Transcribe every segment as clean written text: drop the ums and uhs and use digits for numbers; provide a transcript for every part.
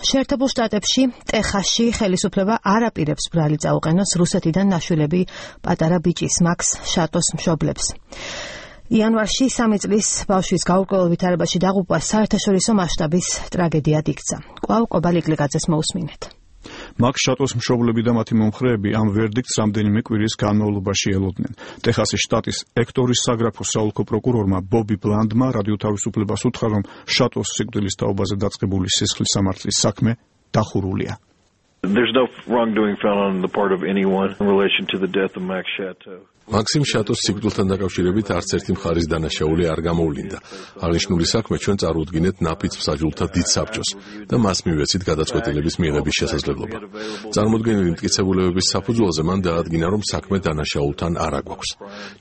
შეერთებულ შტატებში, ტეხასში ხელისუფლება არ აპირებს ბრალი წაუყენოს რუსეთიდან ნაშვილები პატარა ბიჭის მაქს შატოს მშობლებს. იანვარში 3 წლის ბავშვის გაურკვეველ ვითარებაში დაღუპვა საერთაშორისო მასშტაბის ტრაგედიად იქცა. კვლავ კობალ იკლიკაძეს მოусმინეთ. მაქს შატოს მშობლები და მათი მომხრეები ამ ვერდიქტს რამდენიმე კვირის განმავლობაში ელოდნენ. ტეხასის შტატის ექტორის საგრაფოს საოლქო პროკურორმა ბობი ბლანდმა რადიო თავისუფლებას უთხრა, რომ შატოს სიკვდილის თაობაზე დაწყებული სისხლის სამართლის საქმე დახურულია. There's no wrongdoing found on the part of anyone in relation to the death of Max Chateau. მაქსიმ შატოს სიკვდილთან დაკავშირებით არც ერთი მხარის დანაშაული არ გამოვლინდა. აღნიშნული საქმე ჩვენ წარუდგინეთ ნაფიც მსაჯულთა დიდ საბჭოს და მას მივეცით გადაწყვეტილების მიღების შესაძლებლობა. წარმოდგენილი მტკიცებულებების საფუძველზე მან დაადგინა, რომ საქმე დანაშაულთან არ აგვაქვს.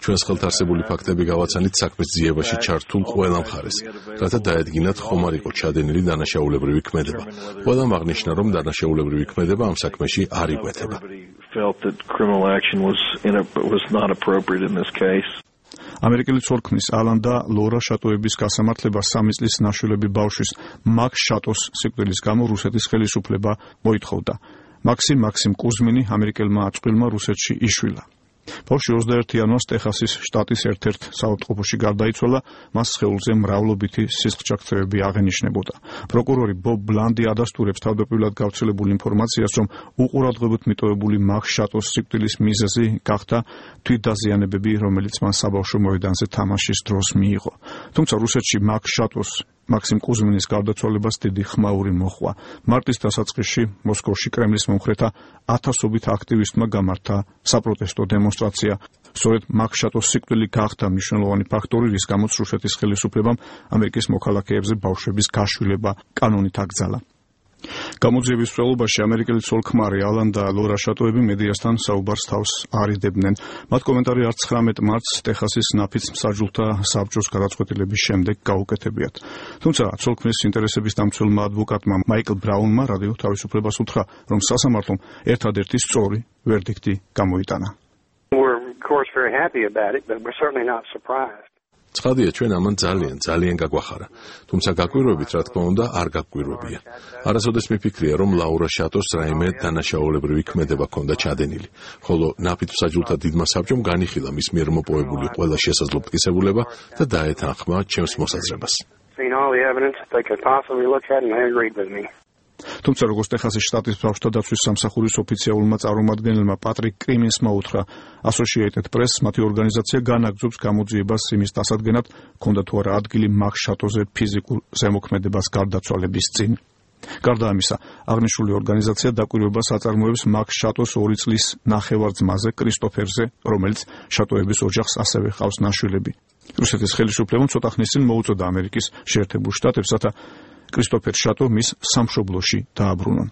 ჩვენს ხელთ არსებული ფაქტები გავაცანით საქმის ძიებაში ჩართულ ყველა მხარეს, რათა დაედგინათ ხომ არ იყო ჩადენილი დანაშაულებრივი ქმედება. ყველამ აღნიშნა, რომ დანაშაულებრივი ქმედება ამ საქმეში არ იკვეთება. ამერიკელი ცოლ-ქმრის ალან და ლორა შატოების გასამართლება 3 წლის ნაშვილები ბავშვის მაქს შატოს სიკვდილის გამო რუსეთის ხელისუფლება მოითხოვდა. მაქსიმ კუზმინი ამერიკელმა აწყვილმა რუსეთში იშვილა. ბავშვი 21 იანვარს ტეხასის შტატის ერთ-ერთ საავადმყოფოში გარდაიცვალა, მას სხეულზე მრავლობითი სისხლჯაქცევები აღენიშნებოდა. პროკურორი ბობ ბლანდი ადასტურებს თავდაპირველად გავრცელებულ ინფორმაციას, რომ უყურადღებოდ მიტოვებული მაქს შატოს სიკვდილის მიზეზი გახდა თვითდაზიანებები, რომელიც მან საბავშვო მოედანზე თამაშის დროს მიიღო. თუმცა რუსეთში მაქს შატოს მაქსიმ კუზმინის გარდაცვალებას დიდი ხმაური მოჰყვა. მარტის დასაწყისში მოსკოვში კრემლის მომხრეთა ათასობით აქტივისტმა გამართა საპროტესტო დემონსტრაცია. სწორედ მაქს შატოს სიკვდილი გახდა მნიშვნელოვანი ფაქტორი, რის გამოც რუსეთის ხელისუფლებამ ამერიკის მოქალაქეებზე ბავშვების გაშვილება კანონით აკრძალა. გამოძიების მსვლელობაში ამერიკელი ცოლ-ქმარი ალან და ლორა შატოები მედიასთან საუბარს თავს არიდებდნენ. მათ კომენტარი არც 19 მარტს ტეხასის ნაფიც მსაჯულთა საბჭოს გადაწყვეტილების შემდეგ გაუკეთებიათ. თუმცა ცოლ-ქმრის ინტერესების დამცველმა ადვოკატმა მაიკლ ბრაუნმა რადიო თავისუფლებას უთხრა, რომ სასამართლომ ერთადერთი სწორი ვერდიქტი გამოიტანა. ცხადია, ჩვენ ამან ძალიან გაგვახარა. თუმცა გაკვირვებით, რა თქმა უნდა, არ გაკვირვებია. არასოდეს მიფიქრია, რომ ლაურა შატოს რაიმე დანაშაულებრივი ქმედება ჰქონდა ჩადენილი, ხოლო ნაფით მსაჯულთა დიდმა საბჭომ განიხილა მის მიერ მოპოვებული ყველა შესაძლო მტკიცებულება და დაეთანხმა ჩემს მოსაზრებას. თუმცა როგორც ტეხასის შტატის ბავშვთა დაცვის სამსახურის ოფიციალურმა წარმომადგენელმა პატრიკ კრიმინსმა უთხრა Associated Press, მათი ორგანიზაცია განაგრძობს გამოძიებას იმის დასადგენად, ჰქონდა თუ არა ადგილი მაქს შატოზე ფიზიკურ ზემოქმედებას გარდაცვალების წინ. გარდა ამისა, აღნიშნული ორგანიზაცია დაკვირვებას აწარმოებს მაქს შატოს 2 წლის ნახევარ-ძმაზე კრისტოფერზე, რომელიც შატოების ოჯახს ასევე ჰყავს ნაშვილები. რუსეთის ხელისუფლებამ ცოტა ხნის წინ მოუწოდა ამერიკის შეერთებულ შტატებს, რათა კრისტოფერ შატო მის სამშობლოში დააბრუნონ.